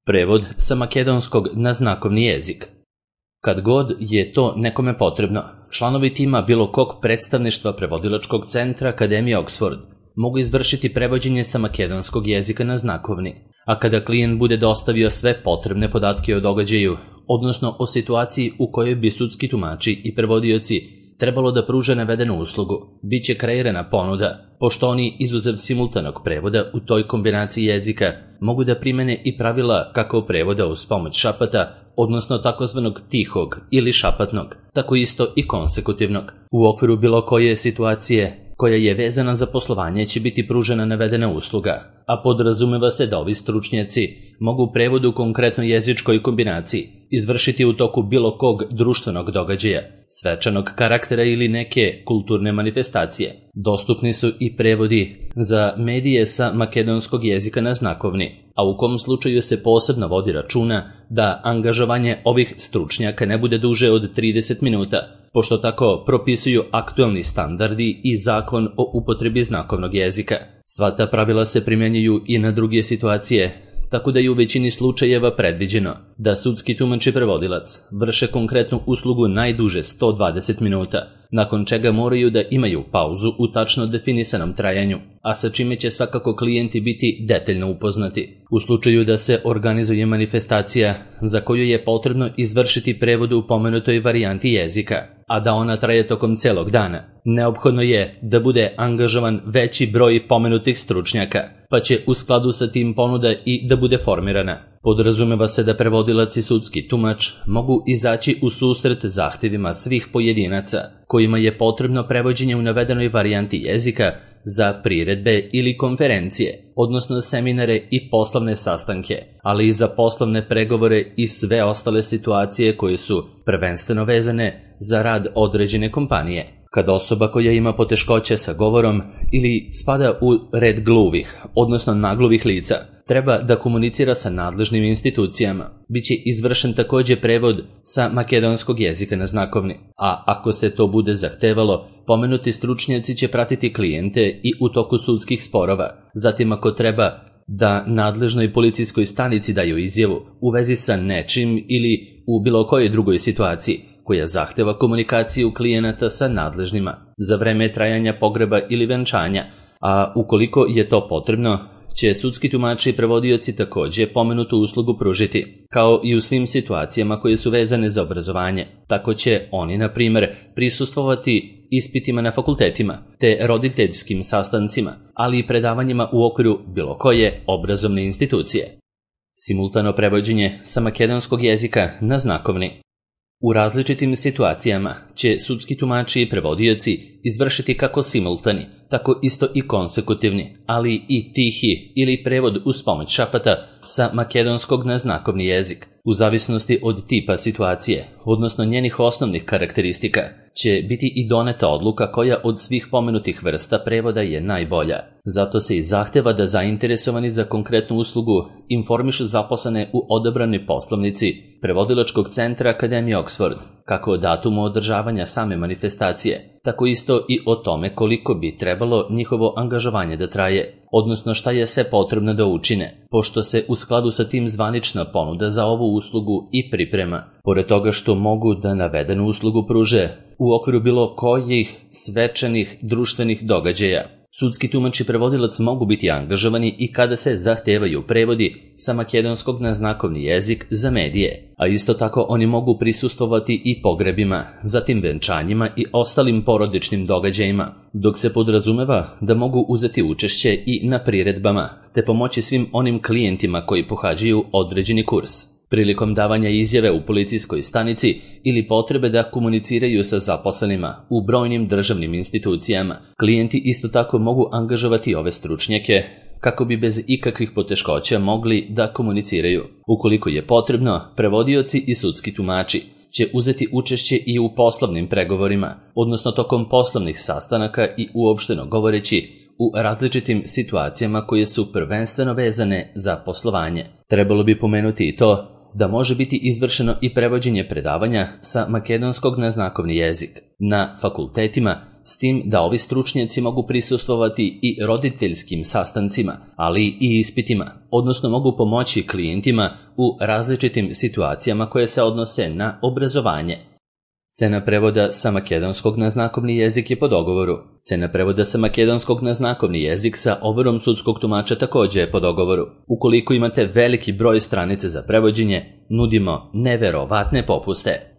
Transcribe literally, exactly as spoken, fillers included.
Prevod sa makedonskog na znakovni jezik. Kad god je to nekome potrebno, članovi tima bilo kog predstavništva prevodilačkog centra Akademije Oxford mogu izvršiti prevođenje sa makedonskog jezika na znakovni, a kada klijent bude dostavio sve potrebne podatke o događaju, odnosno o situaciji u kojoj bi sudski tumači i prevodioci trebalo da pruže navedenu uslugu, bit će kreirana ponuda, pošto oni, izuzev simultanog prevoda u toj kombinaciji jezika, mogu da primene i pravila kako prevoda uz pomoć šapata, odnosno takozvanog tihog ili šapatnog, tako isto i konsekutivnog. U okviru bilo koje situacije koja je vezana za poslovanje će biti pružena navedena usluga, a podrazumeva se da ovi stručnjaci mogu prevod u konkretnoj jezičkoj kombinaciji izvršiti u toku bilo kog društvenog događaja, svečanog karaktera ili neke kulturne manifestacije. Dostupni su i prevodi za medije sa makedonskog jezika na znakovni, a u kom slučaju se posebno vodi računa da angažovanje ovih stručnjaka ne bude duže od trideset minuta, pošto tako propisuju aktualni standardi i zakon o upotrebi znakovnog jezika. Sva ta pravila se primjenjuju i na druge situacije, tako da je u većini slučajeva predviđeno da sudski tumač i prevodilac vrše konkretnu uslugu najduže sto dvadeset minuta, nakon čega moraju da imaju pauzu u tačno definisanom trajanju, a sa čime će svakako klijenti biti detaljno upoznati. U slučaju da se organizuje manifestacija za koju je potrebno izvršiti prevod u pomenutoj varijanti jezika, a da ona traje tokom celog dana, neophodno je da bude angažovan veći broj pomenutih stručnjaka, pa će u skladu sa tim ponuda i da bude formirana. Podrazumeva se da prevodilac i sudski tumač mogu izaći u susret zahtjevima svih pojedinaca kojima je potrebno prevođenje u navedenoj varijanti jezika za priredbe ili konferencije, odnosno seminare i poslovne sastanke, ali i za poslovne pregovore i sve ostale situacije koje su prvenstveno vezane za rad određene kompanije. Kad osoba koja ima poteškoće sa govorom ili spada u red gluvih, odnosno nagluvih lica, treba da komunicira sa nadležnim institucijama, bit će izvršen također prevod sa makedonskog jezika na znakovni, a ako se to bude zahtevalo, pomenuti stručnjaci će pratiti klijente i u toku sudskih sporova. Zatim ako treba da nadležnoj policijskoj stanici daju izjavu u vezi sa nečim ili u bilo kojoj drugoj situaciji koja zahteva komunikaciju klijenata sa nadležnima za vreme trajanja pogreba ili venčanja, a ukoliko je to potrebno, će sudski tumači i prevodioci također pomenutu uslugu pružiti, kao i u svim situacijama koje su vezane za obrazovanje. Tako će oni, na primjer, prisustvovati ispitima na fakultetima, te roditeljskim sastancima, ali i predavanjima u okviru bilo koje obrazovne institucije. Simultano prevođenje sa makedonskog jezika na znakovni. U različitim situacijama će sudski tumači i prevodioci izvršiti kako simultani, tako isto i konsekutivni, ali i tihi ili prevod uz pomoć šapata sa makedonskog na znakovni jezik. U zavisnosti od tipa situacije, odnosno njenih osnovnih karakteristika, će biti i doneta odluka koja od svih pomenutih vrsta prevoda je najbolja. Zato se i zahteva da zainteresovani za konkretnu uslugu informišu zaposlene u odabranoj poslovnici prevodilačkog centra Akademije Oxford, kako o datumu održavanja same manifestacije, tako isto i o tome koliko bi trebalo njihovo angažovanje da traje, odnosno šta je sve potrebno da učine, pošto se u skladu sa tim zvanična ponuda za ovu uslugu i priprema. Pored toga što mogu da navedenu uslugu pruže u okviru bilo kojih svečanih društvenih događaja, sudski tumač i prevodilac mogu biti angažovani i kada se zahtevaju prevodi sa makedonskog na znakovni jezik za medije, a isto tako oni mogu prisustvovati i pogrebima, zatim venčanjima i ostalim porodičnim događajima, dok se podrazumeva da mogu uzeti učešće i na priredbama, te pomoći svim onim klijentima koji pohađaju određeni kurs. Prilikom davanja izjave u policijskoj stanici ili potrebe da komuniciraju sa zaposlenima u brojnim državnim institucijama, klijenti isto tako mogu angažovati ove stručnjake kako bi bez ikakvih poteškoća mogli da komuniciraju. Ukoliko je potrebno, prevodioci i sudski tumači će uzeti učešće i u poslovnim pregovorima, odnosno tokom poslovnih sastanaka i uopšteno govoreći u različitim situacijama koje su prvenstveno vezane za poslovanje. Trebalo bi pomenuti i to da može biti izvršeno i prevođenje predavanja sa makedonskog na znakovni jezik na fakultetima s tim da ovi stručnjaci mogu prisustvovati i roditeljskim sastancima, ali i ispitima, odnosno mogu pomoći klijentima u različitim situacijama koje se odnose na obrazovanje. Cena prevoda sa makedonskog na znakovni jezik je po dogovoru. Cena prevoda sa makedonskog na znakovni jezik sa overom sudskog tumača također je po dogovoru. Ukoliko imate veliki broj stranice za prevođenje, nudimo neverovatne popuste.